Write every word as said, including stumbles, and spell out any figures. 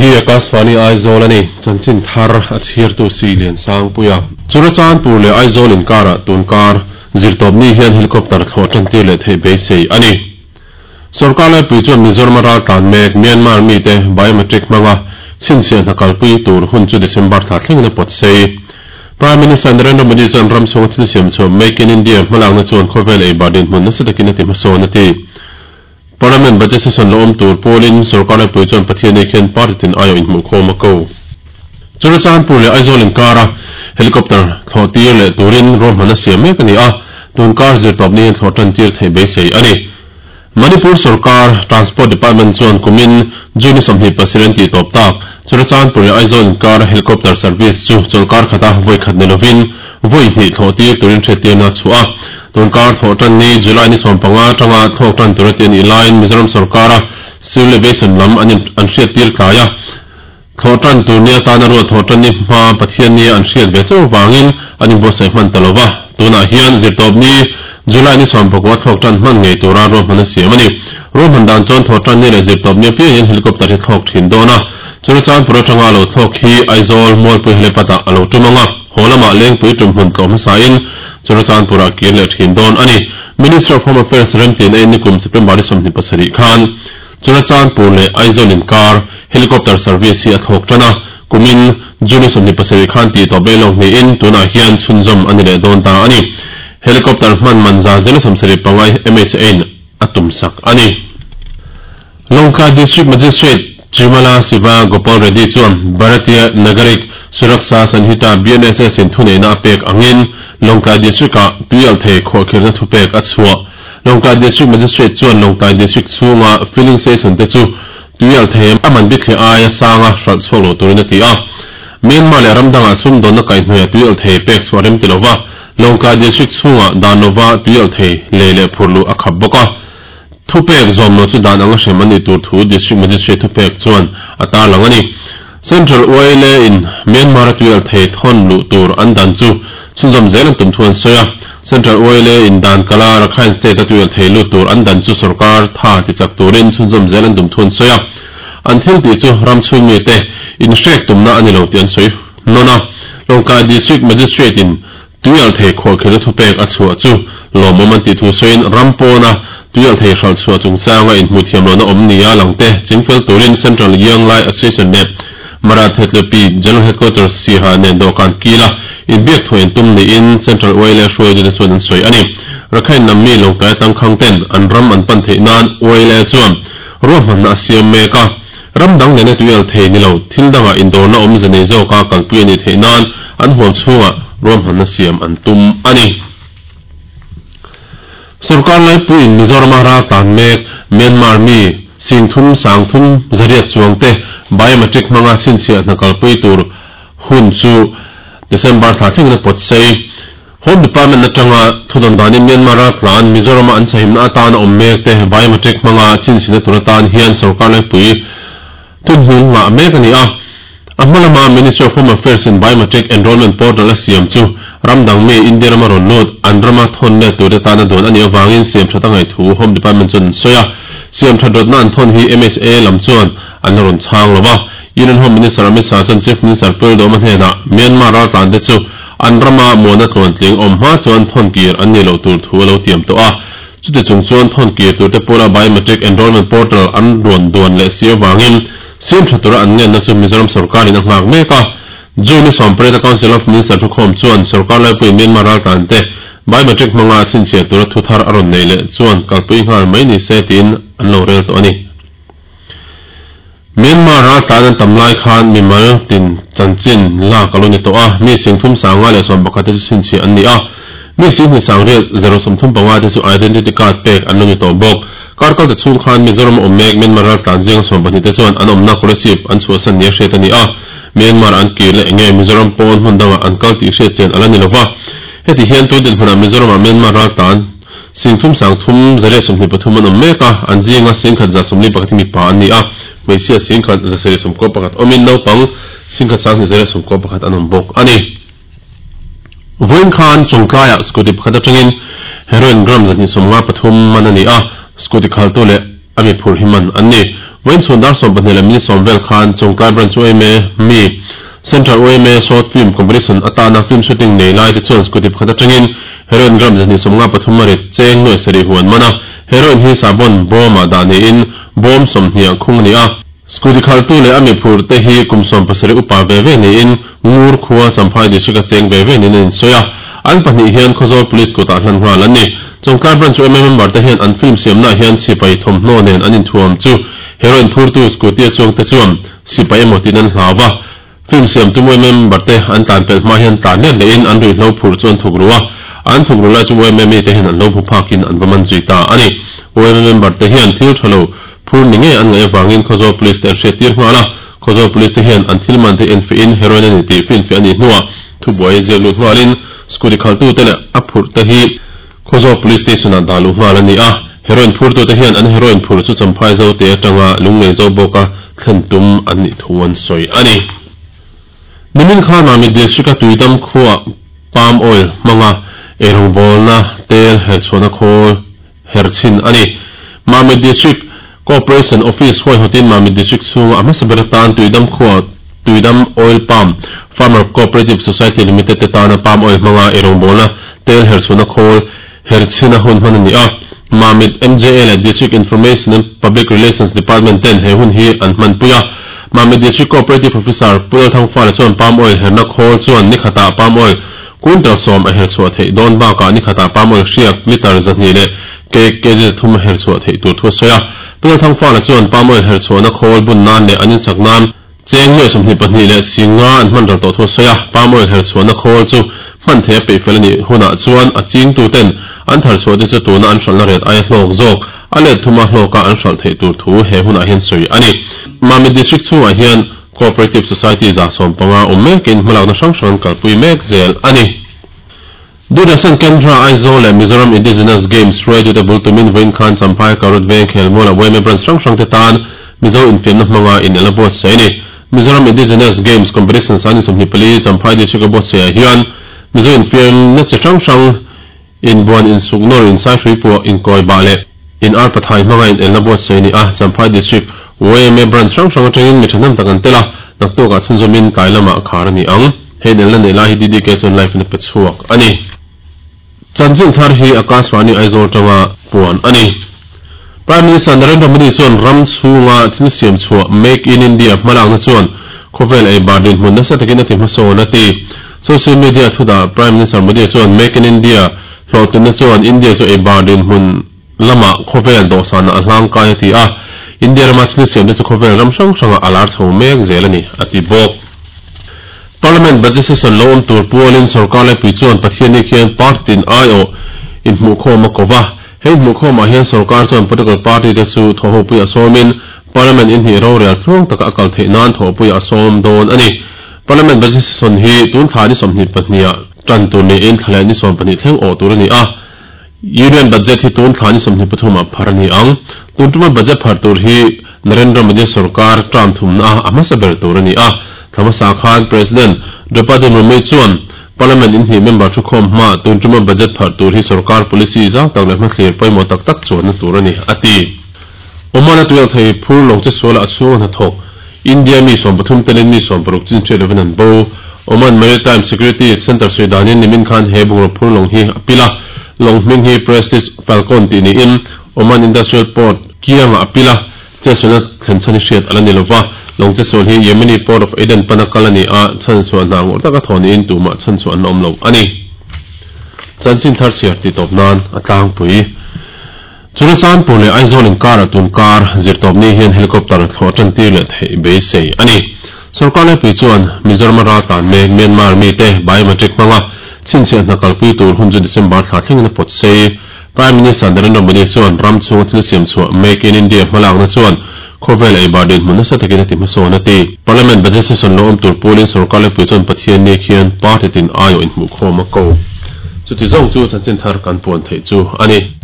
Hei hi Akashvani Aizawl a ni, chanchin thar a chhiartu si Lian Sangpuia. Churachandpur leh Aizawl inkarah tunkar zirtawpni hian helicopter thlawh tantir leh theih beisei a ni. Sorkar laipui chuan Mizoram a raltlan mek Myanmar mite biometric hmanga chhinchhiah hna kalpui tur hun chu December thla thlengin a pawt sei. Prime Minister Narendra Modi chuan ram chhunga thil siam chhuah Make in India hmalakna chuan khawvel ei bar dinhmun nasa takin a ti hmasawn a ti. Parliament budget session lo awm tur pawlin sorkar laipui chuan Pathian khian party tin aiawh inhmuhkhawm a ko. Churachandpur leh Aizawl inkara helicopter thlawh tir leh turin ruahman a siam mek a ni a, tunkar zirtawpni hian thlawh tan tir theih beisei a ni. Manipur Sarkar Transport Department chuan kumin June sawmhnih pasarih an tih tawp tak Churachandpur leh Aizawl inkara helicopter service chu chawlkar khata vawi khat ni lovin vawi hnih thlawh tir turin hriattirna a chhuah a. Tunkar thlawh tan ni July ni sawm panga atanga thlawk tan tur a ti a nih laiin Mizoram Sarkara Civil Aviation lam an an hriattir tlai a. Thlawh tan tur ni atana ruat thlawh tan ni hma Pathian ni an hriat ve chauh vangin an inbuatsaih hman ta lova. Tunah hian zirtawpni July ni sawm pakua thlawk tan hman ngei tura ruahman a siam a ni. Ruahman dan chuan thlawh tan ni leh zirtawpni apiangin helicopter hi thlawk thin dawn a. Churachandpur atanga lo thlawk hi Aizawl Mualpui helipad ah a lo tum anga, haw lamah Lengpui tum hmun tlawh hmasain Churachandpurah kir leh thin dawn a ni. Ministry of Home Affairs remtin a in nikum September ni sawmhnih pasarih khan Churachandpur leh Aizawl inkar helicopter service hi a thlawk tan a, kumin June sawmhnih pasarih khan tih tawp leh lawk niin tunah hian chhunzawm a ni leh dawn ta a ni. Helicopter hman man za zela sawmsarih panga M H A in a tum sak a ni. Lawngtlai District Magistrate Chirmala Siva Gopal Reddy chuan Bharatiya Nagarik Suraksha Sanhita B N S S in thuneihna a pek angin Lawngtlai District-ah tuialthei khawhkhirhna thupek a chhuah. Lawngtlai District Magistrate chuan Lawngtlai District chhunga filling station te chu tuialthei a man bithliah aia sanga hralh chhuak lo turin a ti a. Myanmar leh ramdangah sumdawnna kaihhnuaiah tuialthei pek chhuah rem ti lova Lawngtlai District chhunga dan lova tuialthei lei leh phurluh a khap bawk a. Thupek zawm lo chu dan anga hrem an nih tur thu District Magistrate thupek chuan a tarlang a ni. Central U A L A in Myanmar a tuialthei thawn luh tur an dan chu chhunzawm zel an tum thu an sawi a. Central U A L A in dan kala Rakhine State a tuialthei lut tur an dan chu sarkar tha ti chak turin chhunzawm zel an tum thu an sawi a. An thil tih chu ram chhung mi te in hrek tumna a ni lo tih an sawi nawn a. Lawngtlai District Magistrate in tuialthei khawhkhirhna thupek a chhuah chu lawmawm an tih thu sawiin ram pawna tuialthei hralh chhuah chungchanga inhmuh thiam lohna awm nia langte chingfel turin Central Young Lai Association leh Mara Thetlepi General Headquarters Siaha nen dawhkan kila inbiak thuah intum niin Central U A L A hruaitute chuan an sawi a ni. Rakhine lam mi Lawngtlai tangkhang ten an ram an pan theih nan U A L A chuan ruahmanna a siam mek a. Ram dang nena tuialthei ni lo thil dangah indawrna awm ze nei zawka kalpui a nih theih nan an huam chhungah ruahmanna siam an tum a ni. Sarkar laipuiin Mizoram a raltlan mek Myanmar mi singthum sangthum zariat chuang te biometric hmanga chhinchhiah hna kalpui tur hun chu December thla thlengin a pawt sei. Home Department atanga thudawn danin Myanmar raltlan Mizoram a an sahimna atana awm mek te biometric hmanga chhinchhina tur atan hian sarkar laipui thunhmun ngah mek a ni a. A hma lama Ministry of Home Affairs in Biometric Enrollment Portal a siam chu ramdang mi India rama rawn lut an rama thawn let tur te tana duan a nih avangin siam that a ngaih thu Home Department chuan an sawi a. Siam that rawtna an thawn hi M H A lam chuan an la rawn chhang lova. Union Home Minister Amit Shah chuan Chief Minister Lalduhoma hnenah Myanmar raltlan te chu an rama muana tluan tling awm hma chuan thawn kir an ni loh tur thu a lo tiam tawh a. Chuti chung chuan thawn kir tur te pawla Biometric Enrollment Portal an rawn duan leh si avangin siam tha tura an ngenna chu Mizoram sarkarin a nghak mek a. June sawmpariat a Council of Minister thukhawm chuan sarkar laipui Myanmar raltlan te biometric hmanga chhinchhiah tura thu thar a rawn nei leh chuan kalpui nghal mai ni se tiin an lo rel tawh a ni. Myanmar raltlan an tam lai khan mimal tin chanchin lak a lo ni tawh a, mi singthum sanga leh sawm pakhat te chu chhinchhiah an ni a. Mi singhnih sang riat zero sawmthum panga te chu identity card pek an lo ni tawh bawk. Karkal te chhung khan Mizoram awm mek Myanmar raltlan zinga sawm pahnih te chuan an awmna Kolasib an chhuahsan ni a hriat a ni a. Myanmar an kir leh enge Mizoram pawn hmun dangah an kal tih hriat chen ala ni lova. Heti hian tun dinhmunah Mizoramah Myanmar raltlan singthum sangthum zariat sawmhnih pathum an awm mek a, an zinga singkhat za sawmli pakhat hi mipa an ni a. Hmeichhia singkhat za sarih sawmkaw pakhat awmin naupang singkhat sanghnih zariat sawmkaw pakhat an awm bawk a ni. Vawiin khan Chawngtlaiah scooty pakhat atangin heroin gram zahnih sawmnga pathum man a ni a. Scooty khaltu leh a mi phurh hi man an ni. Vawiin chhun dar sawm pahnih leh minute sawm vel khan Chawngtlai Branch yma mi Central yma Short Film Competition atana film shooting nei lai te chuan scooty pakhat atangin heroin gram zahnih sawmnga pathum a rit cheng nuai sarih hu an man a. Heroin hi sahbawn bawmah dah niin bawm sawmhnih khung a ni a. Scooty khaltu leh a mi phurh te hi kum sawm pasarih upa ve ve niin Ngur khua Champhai District a cheng ve ve niin an insawi a. An pahnih hian Khawzawl Police kutah hlan nghal an ni. Chawngtlai Branch yma member te hian an film siamnaah hian sipai thawmhnaw nen an inthuam chu heroin phurtu scooty a chuang te chuan sipai emaw tiin an hlau va. Film siamtu yma member te an tlan pelh hma hian tlan let lehin an ruihhlo phurh chu an thuk ru a. An thuk ru lai chu yma mi te hian an lo hmu phakin an va man zui ta a ni. Yma member te hian thil tha lo phur ni ngei an ngaih avangin Khawzawl Police te an hriattir nghal a. Khawzawl Police te hian an thil man te enfiahin heroin a ni tih finfiah a nih hnuah thubuai ziak lut nghalin scooty khaltute leh a phurh te hi Khawzawl Police Station ah dah luh nghal a ni a. Heroin phurtute hian an heroin phurh chu Champhai Zote atanga lunglei zo bawka thlen tum an nih thu an sawi a ni. Nimin khan Mamit District a Tuidam khuaah palm oil hmanga eirawngbawlna tel herchhuahna khawl her chhin a ni. Mamit District Cooperation Office huaihawtin Mamit District chhunga a hmasa ber atan Tuidam khuaah Tuidam Oil Palm Farmer Cooperative Society Limited te tana palm oil hmanga eirawngbawlna tel herchhuahna khawl her chhin a hun hman a ni a. Mamit M J A leh District Information and Public Relations Department ten he hun hi an hmanpui a. Mamit District Cooperative Officer Pu Lalthangfala chuan palm oil herna khawl chuan ni khatah palm oil quintal sawm a herchhuah theih dawn bakah ni khatah palm oil hriak litre zahnih leh kg zathum a herchhuah theih tur thu a sawi a. Pu Lalthangfala chuan palm oil herchhuahna khawl bun nan leh an insak nan cheng nuai sawmhnih pahnih leh singa an hman ral tawh thu a sawi a. Palm oil herchhuahna khawl chu hman theih a peih fel a nih hunah chuan a chingtuten an tharchhuah te chu tuna an hralhna ret aia hlawk zawk a let thuma hlawka an hralh theih tur thu he hunah hian sawi a ni. Mamit District chhungah hian Cooperative Society za sawm panga awm mekin hmalakna hrang hrang an kalpui mek zel a ni. Doordarshan Kendra Aizawl leh Mizoram Indigenous Games hruaitute bul tumin vawiin khan Champhai Karut Veng khelmual a yma branch hrang hrang te tan Mizo infiamna hmanga inel a buatsaih a ni. Mizoram Indigenous Games Competition san sawmhnih pali Champhai District a buatsaihah hian Mizo infiamna chi hrang hrang inbuan insuk nawr insaihruai puah inkawi bah leh in ar pathai hmanga inelna buatsaih a ni a. Champhai District yma branch hrang hrang atangin mi thahnem tak an tel a, naktukah chhunzawmin tlai lamah khar a ni ang. Hei inelna nei lai hi D D K chuan live in a pe chhuak a ni. Chanchin thar hi Akashvani Aizawl tanga puan a ni. Prime Minister Narendra Modi chuan ram chhunga thil siam chhuah Make in India hmalakna chuan khawvel ei bar dinhmun nasa takin a ti hmasawn a ti. Social media thudah Prime Minister Modi chuan Make in India hlawhtlinna chuan India chu ei bar dinhmun lamah khawvel dawhsana a hlangkai a ti a. India rama thil siamte chu khawvel ram hrang hranga a lar chho mek zel a ni a ti bawk. Parliament budget session lo awm tur pualin sarkar laipui chuan Pathianni khian party tin aiawh inhmuhkhawm a ko va. Hei hmuhkhawmah hian sarkar chuan political party te chu thawhhopui a sawmin Parliament inhnih rorel tluang taka a kal theih nan thawhpui a sawm dawn a ni. Parliament budget session hi tun thla ni sawmhnih pahniha tan tur niin thla leh ni sawm pahnih thleng awh tur a ni a. Union budget hi tun thla ni sawmhnih pathumah phar a ni ang. Tun tuma budget phar tur hi Narendra Modi sarkar term thumna a hmasa ber tur a ni a. Thla hmasa khan President Draupadi Murmu chuan Parliament inhnih member thukhawm hma tun tuma budget phar tur hi sarkar policy zau tak leh hmathlir pawimawh tak tak chuanna tur a ni a ti. Oman a tuialh thei phur lawng che suala a chhunga hnathawk India mi sawm pathum telin mi sawm paruk chin hriat lovin an bo. Oman Maritime Security Centre sawi danin nimin khan he bungraw phur lawng hi a pil a. Lawng hming hi Prestige Falcon tih niin Oman Industrial Port kiangah a pil a. Chetsualna thlen chhan hi hriat a la ni lova. Lawng chetsual hi Yemeni Port of Aden pana kal a ni a, chhan chhuah hna ngawrh taka thaw niin tumah chhan chhuah an la awm lo a ni. Chanchin thar chhiar tih tawp nan a tlangpui. Churachandpur leh Aizawl inkarah tun kar zirtawpni hian helicopter thlawh tantir leh theih beisei a ni. Sarkar laipui chuan Mizoram a ral tlan mek Myanmar mite biometric hmanga chhinchhiah hna kalpui tur hun chu December thla thlengin a pawt sei. Prime Minister Narendra Modi chuan ram chhunga thil siam chhuah Make in India hmalakna chuan khawvel ei bar dinhmun nasa takin a ti hmasawn a ti. Parliament budget session lo awm tur pualin sarkar laipui chuan Pathianni khian party tin aiawh inhmuhkhawm a ko. Chuti zawng chu chanchin thar kan puan theih chu a ni.